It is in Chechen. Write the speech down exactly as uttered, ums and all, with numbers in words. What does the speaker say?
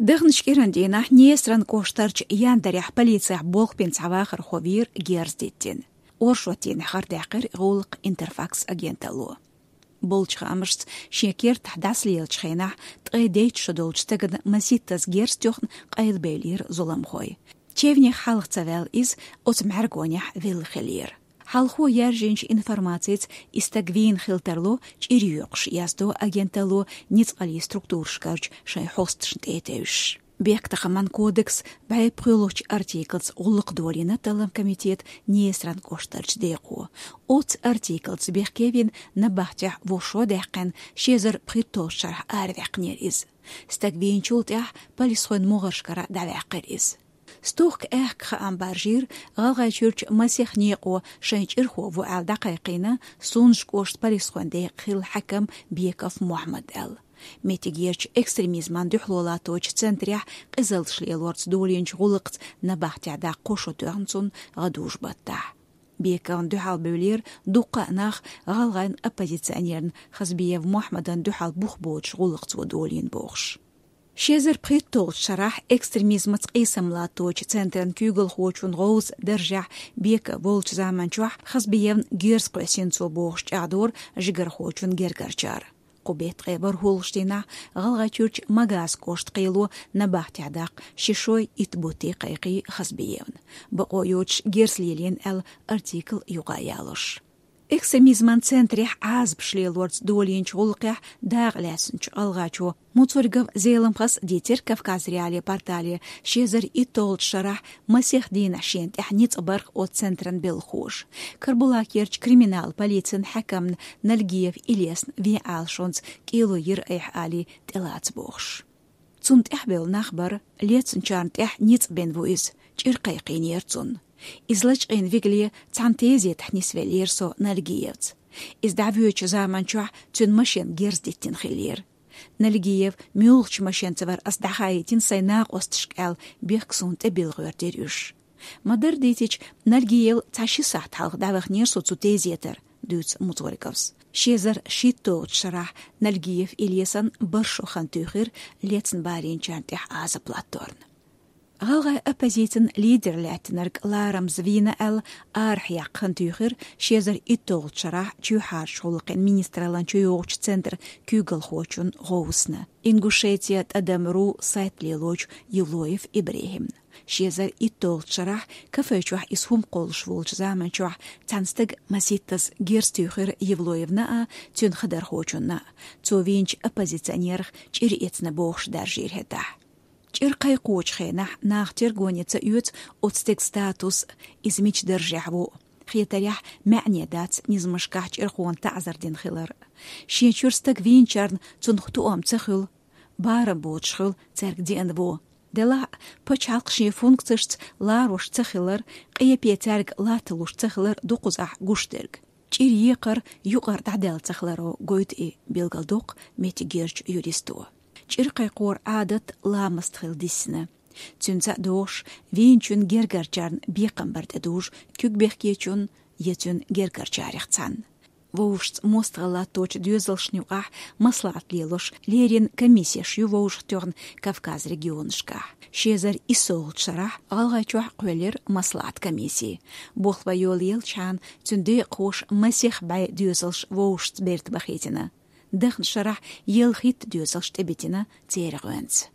Даханчу кӀиранан дийнахь Днестран кӀоштарчу Яндарехь полицехь болх бина цхьа вахархо вийра герз диттина. Оршот дийнахь хабар даьккхира гӀуллакх Интерфакс агенталло. Болчу хаамашца, шен кертахь дӀасалелачу хенахь ткъе дейтта шо долчу стагана маситтаза герз тоьхна къайлабевлира зуламхой. Чевнех хьалха ца ваьлла иза, оцу мӀаьргонехь велла хиллера. Хьалхо яьржинчу информацица, и стаг вийна хила тарло, чӀир йоькъуш, яздо агенталло ницкъаллин структурашкарчу шайн хьосташна тӀе а тевжаш. Бехктакхаман кодексан бӀе пхоьалгӀачу артиклца гӀуллакх долийна талламан комитетан Днестран кӀоштарчу декъо. Оцу артиклца бехке вина набахтехь вовшах даьккхина, ши эзар пхийтталгӀачу шарахь араваьккхинера иза. Стаг вийначул тӀаьхьа полисхойн могӀаршкара дӀаваьккхира иза. Стохка аьхка хаам баржийра ГӀалгӀайчуьрчу масех некъо шайн чӀирхо ву аьлла дӀакхайкхийна Сунжа кӀоштан полисхойн декъан хилла хьаькам Беков Мохьмад аьлла. Меттигерчу экстремизмана дуьхьало латточу центрехь къизаллаш лелорца долийначу гӀуллакхца набахтехь даккха кхо шо тоьхна цунна гӀадужу-баттахь. Бековна дуьхьал бевлира дуккха а нах, гӀалгӀайн оппозиционерна Хазбиев Мохьмадан дуьхьал бух боцуш гӀуллакх цо долийна бохуш. Ши эзар пхийтталгӀачу шарахь экстремизмаца къийсам латточу центран куьйгалхочун гӀовса даржехь Беков волчу заманчохь Хазбиевна герз кхоьссина цо бохуш чӀагӀдора жигархочун гергарчара. Кху беттан ткъе ворхӀалгӀачу дийнахь ГӀалгӀайчуьрчу Магас кӀоштан кхело набахтехь даккха ши шой итт бутт кхайкхий Хазбиевна, бакъо йоцуш герз лелийна аьлла, артикл юкъа а ялош. Экстремизман центрехь Ӏазапаш лелорца долийначу гӀуллакхехь дакъа лаьцначу гӀалгӀачо Муцургов Зеламхас дийцира Кавказ.Реалии портале ши эзар итт долчу шарахь масех дийнахь шена тӀехь ницкъ барх оцу центран белхахоша. Карабулакерчу криминал полицин хьаькамна Нальгиев Илесна вен Ӏалашонца кӀело йира айхьа алий тӀелаца бохуш. Цунна тӀаьхьабевлла нах бара, лецначарна тӀехь ницкъ бина ву иза, чӀир кхайкхийнера цунна. Иза лачкъийна вигале цхьана тезетахь нисвеллера со Нальгиевца. Иза дӀавоьдучу заманчохь цуьнан машен герз диттина хиллера. Нальгиев муьлхачу машенца вара ас дӀахаийтина сайн накъосташка аьлла, бехк суна тӀебилла гӀоьртира уьш. Ма-дарра дийцича, Нальгиев цхьа ши сахьт хьалха дӀаваханера со цу тезетара, дуьйцу Муцурговс. Ши эзар шийтталгӀачу шарахь Нальгиев Илесан бархӀ шо хан туьйхира лецна барийначарна тӀехь Ӏазап латторна. ГӀалгӀайн оппозицин лидер лаьттинарг ларамза вийна аьлла, арахьа яккха хан туьйхира ши эзар итт долчу шарахь чоьхьарчу гӀуллакхийн министраллан чуйогӀучу центран куьйгалхочун гӀовсана, Ингушетия тӀадам ру сайт лелочу Евлоев ИбрахӀимна. Ши эзар итт долчу шарахь кафе чохь иза хӀума кхоллуш волчу заманчохь цхьана стага маситтаза герз туьйхира Евлоевна а, цуьнан хадархочунна а. Цо вийначу оппозиционерах чӀир эцна бохуш даржийра хӀетахь. ЧӀир кхайкхочу хенахь наха тергоне ца оьцу оцу стеган статус, иза мича даржехь ву. Хетарехь, маьӀне дац низамашкахь чӀирхона таӀзар дина хилар. Шен чуьра стаг вийначарна цунах тоам ца хуьлу, барам боцуш хуьлу цаьрга деана вон. Делахь а, пачхьалкх шен функцешца ларош ца хилар, къепе цаьрга латталуш ца хилар ду кхузахь гуш дерг. ЧӀир екхар юкъара дӀадаьлла ца хиларо гойту и, билгалдоккху меттигерчу юристо. ЧӀир кхайкхоран Ӏадат ламаст хила диссина. Цуьнца а догӀуш, вийначун гергарчарна бекхам бар тӀедужу куьг бехкечунна я цуьнан гергарчарех цхьанна. Вовшашца мостагӀалла латточу доьзалшна юкъахь маслаӀат лелош леррина комиссеш ю вовшахтоьхна Кавказ регионашкахь. Ши эзар иссолгӀачу шарахь ГӀалгӀайчохь кхоьллира маслаӀат комисси. Болх бан йолаелчхьана цуьнан декъахоша масех бӀе доьзалш вовшашца берта бахийтина. Даханчу шарахь ялхитта доьзалш тӀебитина церан гӀоьнца.